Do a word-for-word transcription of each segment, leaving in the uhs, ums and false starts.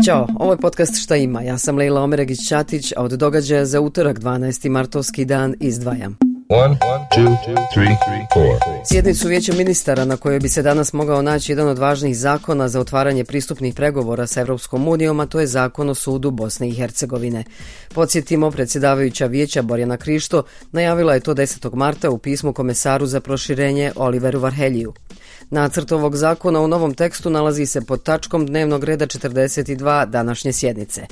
Ćao, ovo je podcast Šta ima. Ja sam Lejla Omeregić-Ćatić, a od događaja za utorak dvanaesti martovski dan izdvajam. One, two, three, four. Sjednicu Vijeća ministara na kojoj bi se danas mogao naći jedan od važnih zakona za otvaranje pristupnih pregovora sa Europskom unijom, a to je Zakon o sudu Bosne i Hercegovine. Podsjetimo, predsjedavajuća Vijeća Borjana Krišto najavila je to desetog marta u pismu komesaru za proširenje Oliveru Varheljiju. Nacrt ovog zakona u novom tekstu nalazi se pod tačkom dnevnog reda četrdeset dva današnje sjednice.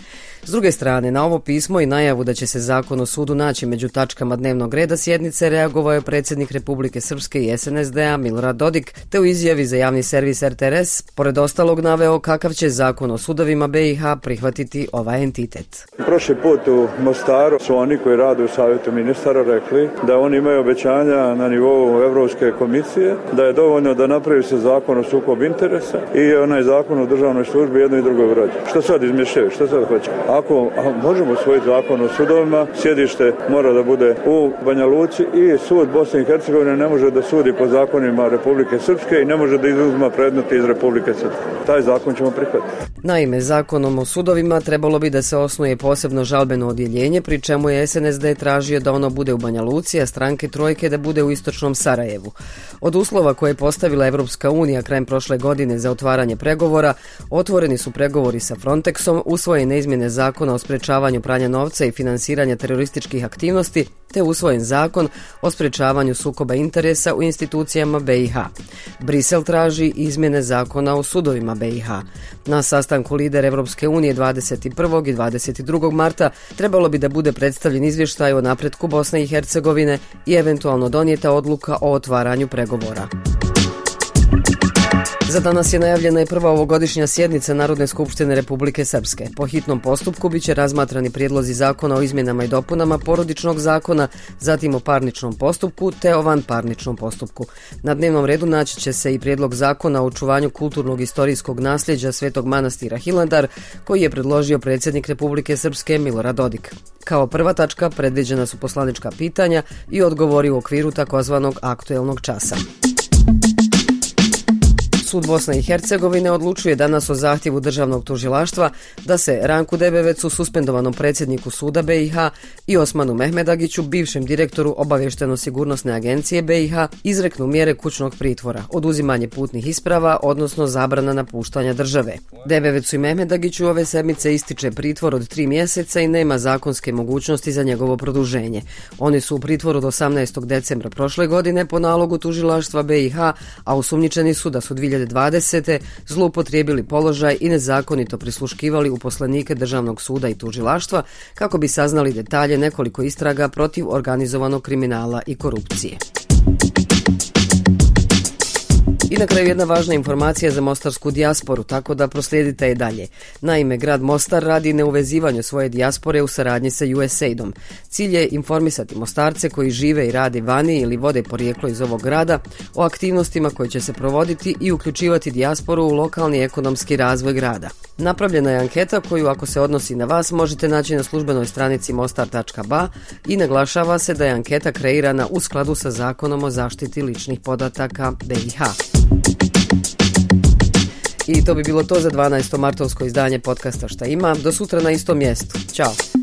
S druge strane, na ovo pismo i najavu da će se Zakon o sudu naći među tačkama dnevnog reda sjednice reagovao je predsjednik Republike Srpske i es en es de a Milorad Dodik, te u izjavi za javni servis er te er es pored ostalog naveo kakav će Zakon o sudovima be i ha prihvatiti ovaj entitet. Prošli put u Mostaru su oni koji rade u Savjetu ministara rekli da oni imaju obećanja na nivou Evropske komisije, da je dovoljno da napravi se Zakon o sukobu interesa i onaj Zakon o državnoj službi jedno i drugo vrađa. Što sad izmišljaju? Što sad hoće? Ako možemo usvojiti Zakon o sudovima, sjedište mora da bude u Banja Luci i sud Bosne i Hercegovine ne može da sudi po zakonima Republike Srpske i ne može da izuzima predmete iz Republike Srpske. Taj zakon ćemo prihvatiti. Naime, Zakonom o sudovima trebalo bi da se osnuje posebno žalbeno odjeljenje, pri čemu je es en es de tražio da ono bude u Banja Luci, a stranke trojke da bude u istočnom Sarajevu. Od uslova koje je postavila Evropska unija krajem prošle godine za otvaranje pregovora, otvoreni su pregovori sa Frontexom, usvojene izmjene Zakona o sprečavanju pranja novca i finansiranja terorističkih aktivnosti, te usvojen Zakon o sprečavanju sukoba interesa u institucijama be i ha. Brisel traži izmjene Zakona o sudovima be i ha. Na sastanku lidera Evropske unije dvadeset prvog i dvadeset drugog marta trebalo bi da bude predstavljen izvještaj o napretku Bosne i Hercegovine i eventualno donijeta odluka o otvaranju pregovora. Za danas je najavljena i prva ovogodišnja sjednica Narodne skupštine Republike Srpske. Po hitnom postupku biće razmatrani prijedlozi zakona o izmjenama i dopunama porodičnog zakona, zatim o parničnom postupku te o vanparničnom postupku. Na dnevnom redu naći će se i prijedlog zakona o očuvanju kulturnog istorijskog nasljeđa Svetog manastira Hilandar, koji je predložio predsjednik Republike Srpske Milorad Dodik. Kao prva tačka predviđena su poslanička pitanja i odgovori u okviru takozvanog aktuelnog časa. Sud Bosne i Hercegovine odlučuje danas o zahtjevu državnog tužilaštva da se Ranku Debevecu, suspendovanom predsjedniku suda be i ha, i Osmanu Mehmedagiću, bivšem direktoru obavješteno-sigurnosne agencije be i ha, izreknu mjere kućnog pritvora, oduzimanje putnih isprava, odnosno zabrana napuštanja države. Debevecu i Mehmedagiću ove sedmice ističe pritvor od tri mjeseca i nema zakonske mogućnosti za njegovo produženje. Oni su u pritvoru do osamnaestog decembra prošle godine po nalogu tužilaštva be i ha, a osumnjičeni su da su dvije hiljade dvadesete zloupotrijebili položaj i nezakonito prisluškivali uposlenike Državnog suda i tužilaštva kako bi saznali detalje nekoliko istraga protiv organizovanog kriminala i korupcije. I na kraju jedna važna informacija za mostarsku dijasporu, tako da proslijedite je dalje. Naime, grad Mostar radi na uvezivanju svoje dijaspore u saradnji sa ju es aidom. Cilj je informisati Mostarce koji žive i rade vani ili vode porijeklo iz ovog grada o aktivnostima koje će se provoditi i uključivati dijasporu u lokalni ekonomski razvoj grada. Napravljena je anketa koju, ako se odnosi na vas, možete naći na službenoj stranici mostar tačka ba i naglašava se da je anketa kreirana u skladu sa Zakonom o zaštiti ličnih podataka be i ha. I to bi bilo to za dvanaesto martovsko izdanje podcasta Šta ima. Do sutra na istom mjestu. Ćao!